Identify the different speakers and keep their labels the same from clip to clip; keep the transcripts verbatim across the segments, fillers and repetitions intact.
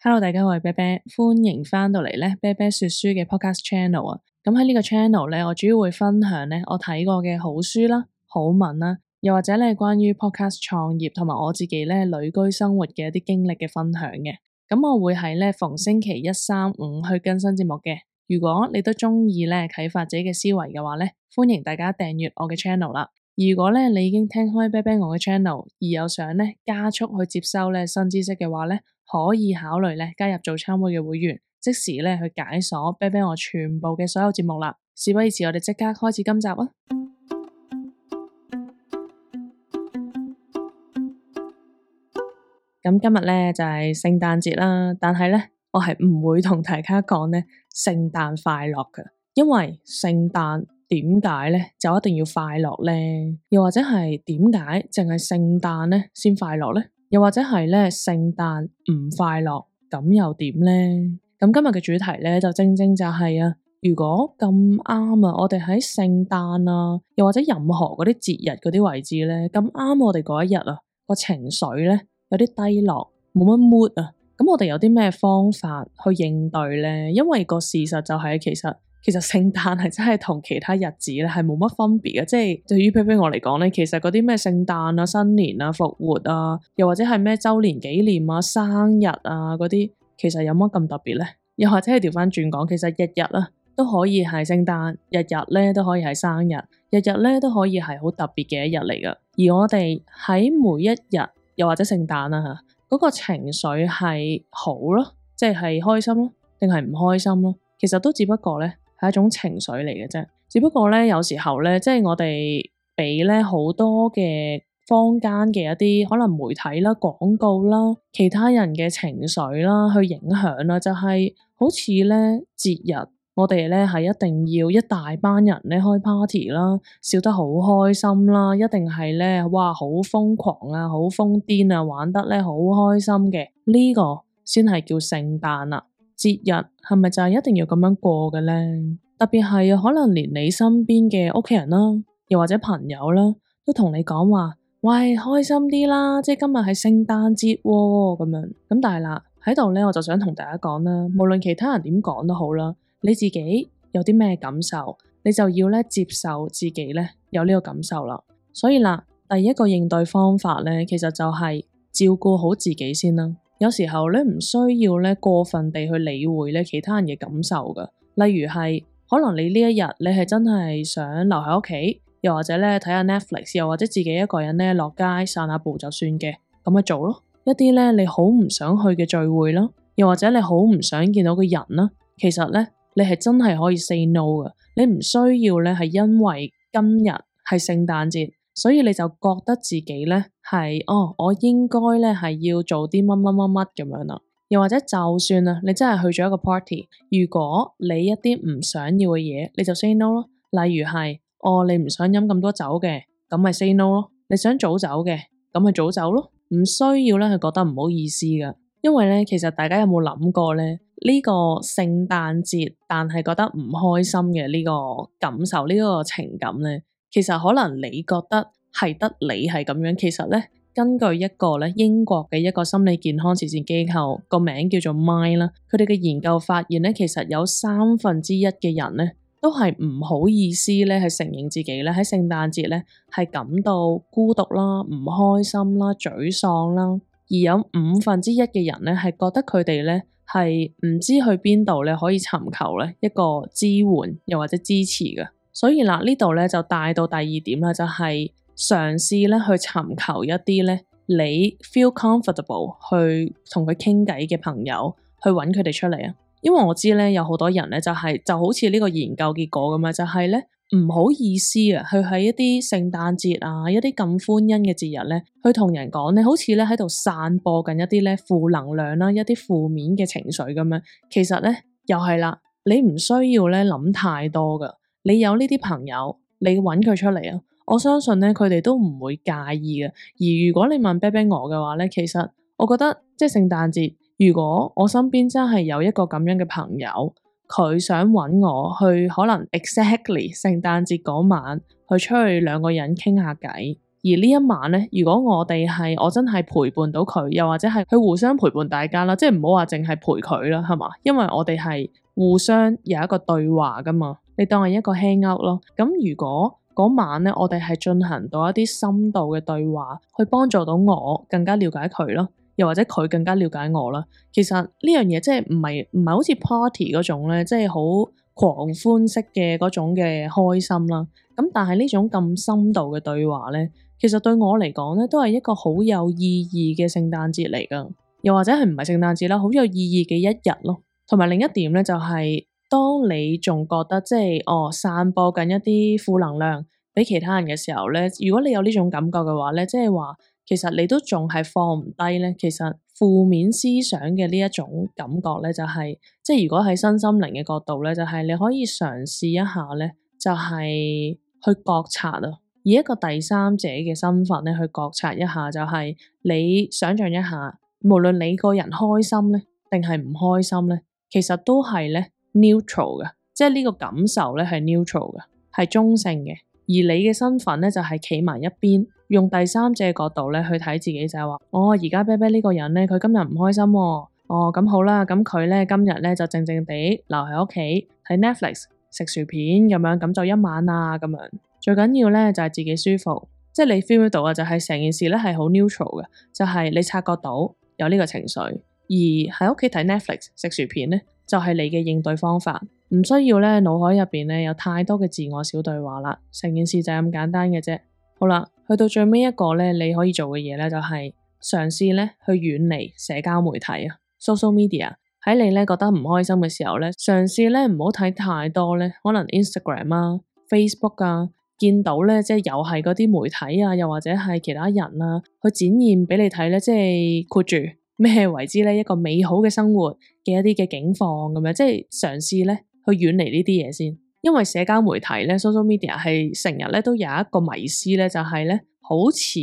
Speaker 1: Hello，大家好，我係啤啤，歡迎翻到嚟咧啤啤說書嘅 podcast channel 啊。咁喺呢個 channel 咧，我主要會分享咧我睇過嘅好書啦、好文啦，又或者咧關於 podcast 創業同埋我自己咧旅居生活嘅一啲經歷嘅分享嘅。咁我會喺咧逢星期一、三、五去更新節目嘅。如果你都中意咧啟發自己嘅思維嘅話咧，歡迎大家訂閱我嘅 channel 啦。如果咧你已經聽開啤啤我嘅 channel，而有想咧加速去接收咧新知識嘅話咧，可以考慮咧加入早餐會嘅會員，即時咧去解鎖啤啤我全部嘅所有節目啦。事不宜遲，我哋即刻開始今集啊！咁今日咧就係聖誕節啦，但係咧我係唔會同大家講咧聖誕快樂㗎，因為聖誕點解咧就一定要快樂咧？又或者係點解淨係聖誕咧先快樂咧？又或者係咧聖誕唔快樂咁又點咧？咁今日嘅主題咧就正正就係啊，如果咁啱啊，我哋喺聖誕啊，又或者任何嗰啲節日嗰啲位置咧，咁啱我哋嗰一日啊個情緒咧有啲低落，冇乜 mood 啊，咁我哋有啲咩方法去應對咧？因為個事實就係其實。其實聖誕係真係同其他日子咧係冇乜分別嘅，即係對於啤啤我嚟講咧，其實嗰啲咩聖誕啊、新年啊、復活啊，又或者係咩周年紀念啊、生日啊嗰啲，其實有乜咁特別咧？又或者係調翻轉講，其實日日啊都可以係聖誕，日日咧都可以係生日，日日咧都可以係好特別嘅一日嚟噶。而我哋喺每一日，又或者聖誕啊吓，嗰個情緒係好咯，即係開心咯，定係唔開心咯？其實都只不過咧。係一種情緒嚟嘅啫，只不過咧有時候咧，即係我哋俾咧好多嘅坊間嘅一啲可能媒體啦、廣告啦、其他人嘅情緒啦去影響啦，就係好似咧節日，我哋咧係一定要一大班人咧開 party 啦，笑得好開心啦，一定係咧哇好瘋狂啊，好瘋癲啊，玩得咧好開心嘅，呢個先係叫聖誕啦。節日係咪就係一定要咁樣過嘅咧？特別係可能連你身邊嘅屋企人啦，又或者朋友啦，都同你講話，喂，開心啲啦，即係今日係聖誕節咁樣。咁但係啦，喺度咧，我就想同大家講啦，無論其他人點講都好啦，你自己有啲咩感受，你就要咧接受自己咧有呢個感受啦。所以啦，第一個應對方法咧，其實就係照顧好自己先啦。有時候咧唔需要咧過分地去理會咧其他人嘅感受噶，例如係可能你呢一日你係真係想留喺屋企，又或者咧睇下 Netflix， 又或者自己一個人咧落街散下步就算嘅，咁咪做咯。一啲咧你好唔想去嘅聚會啦，又或者你好唔想見到嘅人啦，其實咧你係真係可以 say no 噶，你唔需要咧係因為今日係聖誕節。所以你就覺得自己咧係哦，我應該咧係要做啲乜乜乜乜咁樣啦。又或者就算啊，你真係去咗一個 party，如果你一啲唔想要嘅嘢，你就 say no 咯。例如係哦，你唔想飲咁多酒嘅，咁咪 say no 咯。你想早走嘅，咁咪早走咯。唔需要咧，係覺得唔好意思噶。因為咧，其實大家有冇諗過咧？呢個聖誕節，但係覺得唔開心嘅呢個感受，呢個情感咧？其實可能你覺得係得你係咁樣，其實咧根據一個咧英國嘅一個心理健康慈善機構個名叫做 Mind 啦，佢哋嘅研究發現咧，其實有三分之一嘅人咧都係唔好意思咧，係承認自己咧喺聖誕節咧係感到孤獨啦、唔開心啦、沮喪啦，而有五分之一嘅人咧係覺得佢哋咧係唔知去邊度咧可以尋求咧一個支援又或者支持嘅。所以啦，呢度咧就帶到第二點啦，就係嘗試咧去尋求一啲咧你 feel comfortable 去同佢傾偈嘅朋友，去揾佢哋出嚟啊。因為我知咧有好多人咧就係就好似呢個研究結果咁啊，就係咧唔好意思啊，去喺一啲聖誕節啊，一啲咁歡欣嘅節日咧，去同人講咧，好似咧喺度散播緊一啲咧負能量啦，一啲負面嘅情緒咁樣。其實咧又係啦，你唔需要咧諗太多噶。你有呢啲朋友，你揾佢出嚟啊！我相信咧，佢哋都唔會介意嘅。而如果你問啤啤我嘅話咧，其實我覺得即係聖誕節，如果我身邊真係有一個咁樣嘅朋友，佢想揾我去，可能 exactly 聖誕節嗰晚去出去兩個人傾下偈，而呢一晚咧，如果我哋係我真係陪伴到佢，又或者係佢互相陪伴大家啦，即係唔好話淨係陪佢啦，係嘛？因為我哋係互相有一個對話噶嘛，你當係一個 hang out 咯。咁如果嗰晚咧，我哋係進行到一啲深度嘅對話，去幫助到我更加了解佢咯，又或者佢更加了解我啦。其實呢樣嘢即係唔係唔係好似 party 嗰種咧，即係好狂歡式嘅嗰種嘅開心啦。咁但係呢種咁深度嘅對話咧，其實對我嚟講咧，都係一個好有意義嘅聖誕節嚟噶，又或者係唔係聖誕節啦，好有意義嘅一日咯。同埋另一點咧，就係當你仲覺得即係哦散播緊一啲負能量俾其他人嘅時候咧，如果你有呢種感覺嘅話咧，即係話其實你都仲係放唔低咧。其實負面思想嘅呢一種感覺咧，就係即係如果喺身心靈嘅角度咧，就係你可以嘗試一下咧，就係去覺察啊，以一個第三者嘅身份咧去覺察一下，就係你想象一下，無論你個人開心咧定係唔開心咧，其實都係咧 neutral 嘅，即係呢個感受咧係 neutral 嘅，係中性嘅。而你嘅身份咧就係企埋一邊，用第三者嘅角度咧去睇自己，就係話，哦，而家啤啤呢個人咧，佢今日唔開心喎，哦，咁好啦，咁佢咧今日咧就靜靜地留喺屋企睇 Netflix 食薯片咁樣，咁就一晚啊咁樣。最緊要咧就係自己舒服，即係你 feel 到啊，就係成件事咧係好 neutral 嘅，就係你察覺到有呢個情緒，而喺屋企睇 Netflix 食薯片咧就係你嘅應對方法。唔需要咧，腦海入邊咧有太多嘅自我小對話啦，成件事就係咁簡單嘅啫。好啦，去到最尾一個咧，你可以做嘅嘢咧就係嘗試咧去遠離社交媒體啊 ，social media。喺你咧覺得唔開心嘅時候咧，嘗試咧唔好睇太多咧，可能 Instagram 啊、Facebook 啊，見到咧即係又係嗰啲媒體啊，又或者係其他人啊，去展現俾你睇咧，即係括住咩為之咧一個美好嘅生活嘅一啲嘅境況咁樣，即係嘗試咧。去遠離呢啲嘢先，因為社交媒體咧 social media 係成日咧都有一個迷思咧，就係咧好似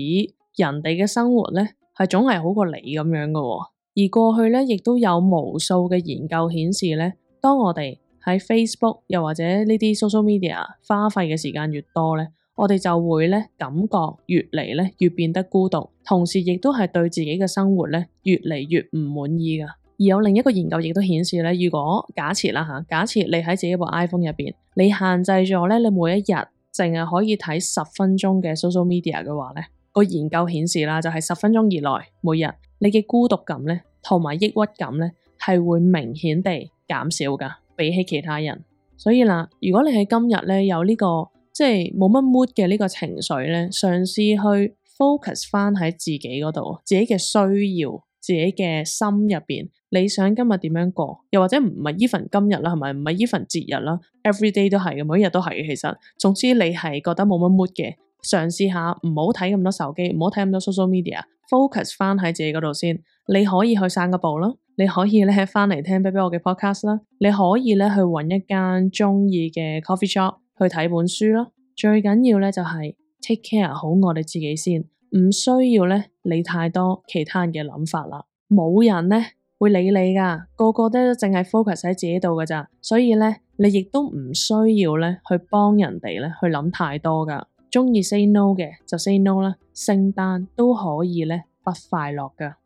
Speaker 1: 人哋嘅生活咧係總係好過你咁樣嘅喎。而過去咧亦都有無數嘅研究顯示咧，當我哋喺 Facebook 又或者呢啲 social media 花費嘅時間越多咧，我哋就會咧感覺越嚟咧越變得孤獨，同時亦都係對自己嘅生活咧越嚟越唔滿意噶。而有另一個研究亦都顯示咧，如果假設啦嚇，假設你喺自己部 iPhone 入邊，你限制咗咧，你每一日淨係可以睇十分鐘嘅 social media 嘅話咧，個研究顯示啦，就係十分鐘以內每日，你嘅孤獨感咧同埋抑鬱感咧係會明顯地減少噶，比起其他人。所以啦，如果你喺今日咧有呢個即係冇乜 mood 嘅呢個情緒咧，嘗試去 focus 翻喺自己嗰度，自己嘅需要。自己嘅心入邊，你想今日點樣過？又或者唔係 even 今日啦，係咪？唔係 even 節日啦 ，every day 都係嘅，每一日都係嘅。其實，總之你係覺得冇乜 mood 嘅，嘗試下唔好睇咁多手機，唔好睇咁多 social media，focus 翻喺自己嗰度先。你可以去散個步啦，你可以咧翻嚟聽啤啤我嘅 podcast 啦，你可以咧去揾一間中意嘅 coffee shop 去睇本書啦。最緊要咧就係 take care 好我哋自己先。唔需要咧理太多其他人嘅諗法啦，冇人咧會理你噶，個個都淨係 focus 喺自己度噶咋，所以咧你亦都唔需要咧去幫人哋咧去諗太多噶，中意 say no 嘅就 say no 啦，聖誕都可以咧不快樂噶。